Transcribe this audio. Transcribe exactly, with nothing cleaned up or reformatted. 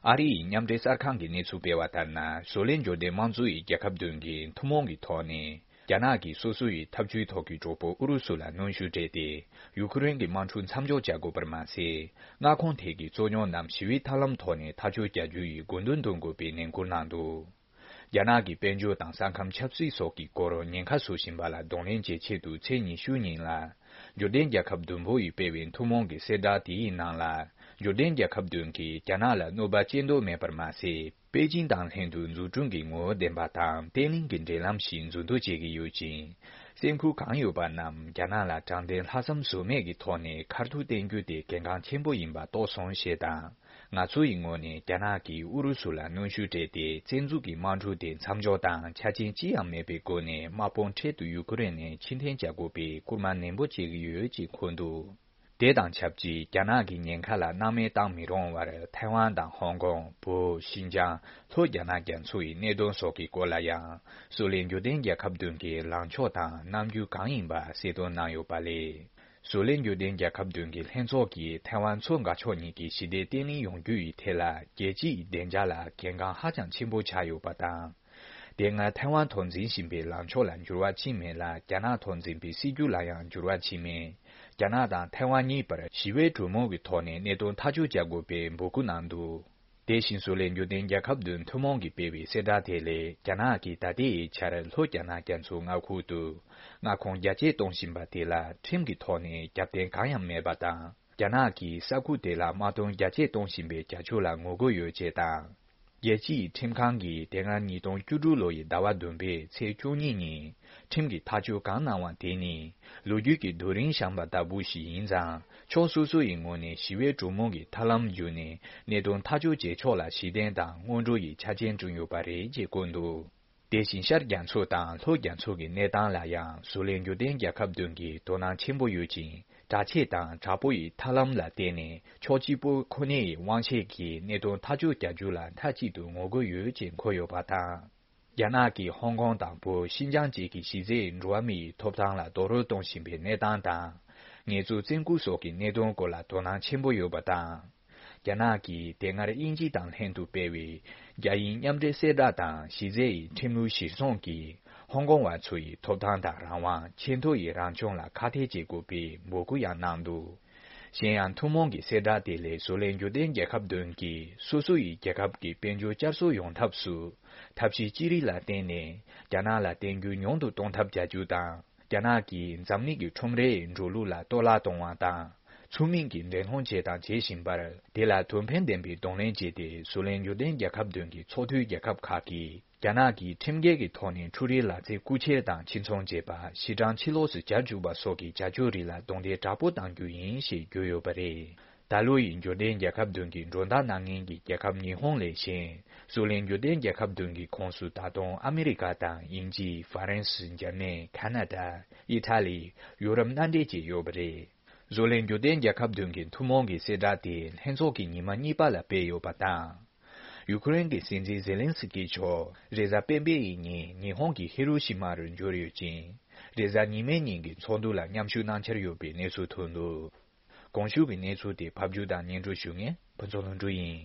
ཨ་རི་ཡི་མཉམ་འབྲེལ་གསར་ཁང་གིས་གནས་ཚུལ་སྤེལ་བ་ལྟར་ན། བཟོ་ལས་འབྱོར་ལྡན་དམངས་གཙོ་ཡི་རྒྱལ་ཁབ་བདུན་གྱིས་ཐུན་མོང་གི་ཐོག་ནས། རྒྱ་ནག་གིས་སོ་སོ་ཡི་འཐབ་ཇུས་ཐོག་གི་གྲོགས་པོ་ཨུ་རུ་སུ་ལ་གནོན་ཤུགས་སྤྲད་དེ། ཡུ་ཁུ་རེན་གྱི་དམག་འཁྲུག་མཚམས་འཇོག་བྱ་དགོས་པར་མ་ཟད། མངའ་ཁོངས་ཐད་ཀྱི་རྩོད་རྙོག་རྣམས་ཞི་བའི་ཐབས་ལམ་ཐོག་ནས་ཐག་གཅོད་བྱ་རྒྱུ་ཡི་དགོས་འདུན་འདོན་དགོས་པའི་ནན་སྐུལ་གནང་འདུག། རྒྱ་ནག་གི་དཔལ་འབྱོར་དང་ས་ཁམས་ཆབ་སྲིད་སོགས་ཀྱི་སྐོར་ཉེན་ཁ་བཟོ་བཞིན་པ་ལ་གདོང་ལེན་བྱེད་ཆེད་དུ། ཚེས་ཉི་ཤུ་ཉིན་ལ། འབྱོར་ལྡན་རྒྱལ་ཁབ་བདུན་པོ་ཡིས་སྤེལ་བའི་ཐུན་མོང་གི་གསལ་བསྒྲགས་དེའི་ནང་ལ། འབྱོར་ལྡན་རྒྱལ་ཁབ་བདུན་གྱིས་རྒྱ་ནག་ལ་གནོད་པ་སྐྱེལ་འདོད་མེད་པར་མ་ཟད། པེ་ཅིང་དང་ལྷན་དུ་འཛུགས་སྐྲུན་གྱི་ངོ་བོ་ལྡན་པ་དང་བརྟན་ལྷིང་གི་འབྲེལ་ལམ་ཞིག་འཛུགས་འདོད་བྱེད་ཀྱི་ཡོད་ཅིང་། སེམས་ཁུར་གང་ཡོད་པ་རྣམས་རྒྱ་ནག་ལ་དྲང་བདེན་ལྷག་བསམ་ཟོལ་མེད་ཀྱི་ཐོག་ནས་ཁ་ཐུག་བསྟན་རྒྱུ་དེ་གལ་འགངས་ཆེན་པོ་ཡིན་པ་རྟོགས་སོང་ཞེས་དང་། ང་ཚོ་ཡི་ངོས་ནས་རྒྱ་ནག་གིས་ཨུ་རུ་སུ་ལ་གནོན་ཤུགས་སྤྲད་དེ། བཙན་འཛུལ་གྱི་དམག་འཁྲུག་དེ་མཚམས་འཇོག་དང་ཆ་རྐྱེན་ཅི་ཡང་མེད་པའི་སྒོ་ནས་དམག་དཔུང་འཕྲལ་དུ་ཡུ་ཁུ་རེན་ནས་ཕྱིར་འཐེན་བྱ་དགོས་པའི་སྐུལ་མ་ནན་པོ་བྱེད་ཀྱི་ཡོད་ཅེས་འཁོད་འདུག། དེ་དང་ཆབས་ཅིག་རྒྱ་ནག་གི་ཉེན་ཁ་ལ་སྣང་མེད་བཏང་མི་རུང་བར། ཐའེ་ཝན་དང་ཧོང་ཀོང་། བོད། ཤིན་ཅང་། ལྷོ་རྒྱ་ནག་རྒྱ་མཚོ་ཡི་གནད་དོན་སོགས་ཀྱི་སྐོར་ལ་ཡང་། བཟོ་ལས་འབྱོར་ལྡན་རྒྱལ་ཁབ་བདུན་གྱི་ལངས་ཕྱོགས་དང་རྣམ་འགྱུར་གང་ཡིན་པ་གསལ་སྟོན་གནང་ཡོད་པ་ལས། བཟོ་ལས་འབྱོར་ལྡན་རྒྱལ་ཁབ་བདུན་གྱི་ལྷན་ཚོགས་ཀྱིས་ཐའེ་ཝན་མཚོ་འགག་ཕྱོགས་གཉིས་ཀྱི་ཞི་བདེ་བརྟན་ལྷིང་ཡོང་རྒྱུ་ཡི་ཐད་ལ། རྒྱལ་སྤྱི་ཡི་བདེ་འཇགས་ལ་གལ་འགངས་ཧ་ཅང་ཆེན་པོ་ཆགས་ཡོད་པ་དང་། དེ་སྔ་ཐའེ་ཝན་ཐོག་འཛིན་བཞིན་པའི་ལངས་ཕྱོགས་ལ་འགྱུར་བ་ཕྱིན་མེད་ལ། རྒྱ་ནག་ཐོག་འཛིན་པའི་སྲིད་ཇུས་ལ་ཡང་འགྱུར་བ་ཕྱིན་མེད། རྒྱ་ནག་དང་ཐའེ་ཝན་གཉིས་བར་ཞི་བའི་གྲོས་མོལ་གྱི་ཐོག་ནས་གནད་དོན་ཐག་གཅོད་བྱ་དགོས་པའི་འབོད་སྐུལ་གནང་འདུག། དེ་བཞིན་བཟོ་ལས་འབྱོར་ལྡན་རྒྱལ་ཁབ་བདུན་ཐུན་མོང་གིས་སྤེལ་བའི་གསལ་བསྒྲགས་དེ་ལས། རྒྱ་ནག་གིས་ད་ལྟའི་ཆར་ལྷོ་རྒྱ་ནག་རྒྱ་མཚོའི་མངའ་ཁུལ་དུ་མངའ་ཁོངས་རྒྱ་སྐྱེད་གཏོང་བཞིན་པ་དེ་ལ་ཁྲིམས་ཀྱི་ཐོག་ནས་རྒྱབ་རྟེན་གང་ཡང་མེད་པ་དང་། རྒྱ་ནག་གིས་ས་ཁུལ་དེ་ལ་དམག་དོན་རྒྱ་སྐྱེད་གཏོང་བཞིན་པའི་བྱ་སྤྱོད་ལ་ངོ་རྒོལ་ཡོད་ཅེས་དང་། རྒྱལ་སྤྱིའི་ཁྲིམས་ཁང་གིས་དེ་སྔ་ཉིས་སྟོང་བཅུ་དྲུག་ལོ་ཡི་ཟླ་བ་བདུན་པའི་ཚེས་བཅུ་གཉིས་ཉིན་ཁྲིམས་ཀྱི་ཐག་གཅོད་གང་གནང་བ་དེ་ནི་ལོ་རྒྱུས་ཀྱི་རྡོ་རིང་བཞེངས་པ་ལྟ་བུ་ཞིག་ཡིན་ཙང་། ཕྱོགས་སོ་སོ་ཡི་ངོས་ནས་ཞི་བའི་གྲོས་མོལ་གྱི་ཐབས་ལམ་བརྒྱུད་ནས་གནད་དོན་ཐག་གཅོད་བྱེད་ཕྱོགས་ལ་གཞི་རྟེན་དང་སྔོན་འགྲོ་ཡི་ཆ་རྐྱེན་བསྐྲུན་ཡོད་པ་རེད་ཅེས་བཀོད་འདུག། དེ་བཞིན་ཤར་རྒྱ་མཚོ་དང་ལྷོ་རྒྱ་མཚོ་གི་གནས་སྟངས་ལ་ཡང་བཟོ་ལས་འབྱོར་ལྡན་རྒྱལ་ཁབ་བདུན་གྱིས་དོ་སྣང་ཆེན་པོ་ཡོད་ཅིང་། དྲག་ཆས་དང་དྲག་པོ་ཡི་ཐབས་ལམ་ལ་བརྟེན་ནས་ཕྱོགས་གཅིག་པུ་ཁོ་ནའི་དབང་ཆས་ཀྱིས་གནད་དོན་ཐག་གཅོད་བྱ་རྒྱུ་ལ་མཐའ་གཅིག་ཏུ་ངོ་རྒོལ་ཡོད་ཅེས་འཁོད་ཡོད་པ་དང་། རྒྱ་ནག་གིས་ཧོང་ཀོང་དང་བོད། ཤིན་ཅང་བཅས་ཀྱི་གཞི་རྩའི་འགྲོ་བ་མིའི་ཐོབ་ཐང་ལ་རྡོག་རོལ་གཏོང་བཞིན་པའི་གནས་སྟངས་དང་། ངལ་རྩོལ་བཙན་སྐུལ་སོགས་ཀྱི་གནད་དོན་སྐོར་ལ་དོ་སྣང་ཆེན་པོ་ཡོད་པ་དང་། རྒྱ་ནག་གིས་དེ་སྔར་དབྱིན་ཇི་དང་ལྷན་དུ་སྤེལ་བའི་རྒྱ་དབྱིན་མཉམ་འབྲེལ་གསལ་བསྒྲགས་དང་གཞི་རྩའི་ཁྲིམས་ལུགས་གཞིར་བཟུང་གིས་ཧོང་ཀོང་བ་ཚོ་ཡི་ཐོབ་ཐང་དང་རང་དབང་། ཆེས་མཐོ་ཡི་རང་སྐྱོང་ལ་ཁག་ཐེག་བྱེད་དགོས་པའི་འབོད་སྐུལ་ཡང་གནང་འདུག། གཞན་ཡང་ཐུན་མོང་གི་གསལ་བསྒྲགས་དེ་ལས་བཟོ་ལས་འབྱོར་ལྡན་རྒྱལ་ཁབ་བདུན་གྱིས་སོ་སོ་ཡི་རྒྱལ་ཁབ་ཀྱི་དཔལ་འབྱོར་བསྐྱར་གསོ་ཡོང་ཐབས་སུ་ཐབས་ཤེས་ཅི་རིགས་ལ་བརྟེན་ནས་རྒྱ་ནག་ལ་བརྟེན་རྒྱུ་ཉུང་དུ་གཏོང་ཐབས་བྱ་རྒྱུ་དང་། རྒྱ་ནག་གིས་འཛམ་གླིང་གི་ཁྲོམ་རའི་འགྲོ་ལུགས་ལ་གཏོར་བརླག་གཏོང་བ་དང་། ཚུལ་མིན་གྱི་འགྲན་སློང་བྱས་དང་བྱེད་བཞིན་པར། དེ་ལ་དོན་ཕན་ལྡན་པའི་གདོང་ལེན་བྱས་ཏེ། བཟོ་ལས་འབྱོར་ལྡན་རྒྱལ་ཁབ་བདུན་གྱི་ཚོགས་འཐུས་རྒྱལ་ཁབ་ཁག་གིས་རྒྱ་ནག་གིས་ཁྲིམས་འགལ་གྱི་ཐོག་ནས་འཕྲུལ་རིག་ལག་རྩལ་རྐུ་འཁྱེར་དང་ཕྱིར་ཚོང་བྱེད་པ། གཞི་གྲངས་ཕྱི་ལོགས་སུ་གྱར་འཇུག་པ་སོགས་ཀྱི་བྱ་སྤྱོད་རིགས་ལ་རྡུང་རྡེག་དྲག་པོ་གཏང་རྒྱུ་ཡིན་ཞེས་བརྗོད་ཡོད་པ་རེད། ད་ལོ་ཡི་འབྱོར་ལྡན་རྒྱལ་ཁབ་བདུན་གྱི་མགྲོན་བདག་གནང་མཁན་གྱི་རྒྱལ་ཁབ་ཉི་ཧོང་ལས་གཞན། བཟོ་ལས་འབྱོར་ལྡན་རྒྱལ་ཁབ་བདུན་གྱི་ཁོངས་སུ་ད་དུང་ཨ་མི་རི་ཀ་དང་། དབྱིན་ཇི། ཧྥ་རན་སི། འཇར་མན། ཁ་ན་ཌ། ཨི་ཐ་ལི། ཡུ་རོབ་མནའ་འབྲེལ་བཅས་ཡོད་པ་རེད། བཟོ་ལས་འབྱོར་ལྡན་རྒྱལ་ཁབ་བདུན་གྱི་ཐུན་མོང་གི་གསལ་བསྒྲགས་དེ་ལྷན་ཚོགས་ཀྱི་ཉི་མ་གཉིས་པ་ལ་སྤེལ་ཡོད་པ་དང་། ཡུ་ཁུ་རེན་གྱི་སྲིད་འཛིན་ཛེ་ལན་སི་ཀི་མཆོག་རེས་གཟའ་སྤེན་པའི་ཉིན་ཉི་ཧོང་གི་ཧི་རུ་ཤི་མ་རུ་འབྱོར་ཡོད་ཅིང་། རེས་གཟའ་ཉི་མའི་ཉིན་གྱི་ཚོགས་འདུ་ལ་མཉམ་ཞུགས་གནང་འཆར་ཡོད་པའི་གནས་ཚུལ་ཐོན་འདུག། གོང་ཞུས་ཀྱི་གནས་ཚུལ་དེ་ཕབ་སྒྱུར་དང་སྙན་སྒྲོན་ཞུ་མཁན་ཕུན་ཚོགས་ལྷུན་གྲུབ་ཡིན།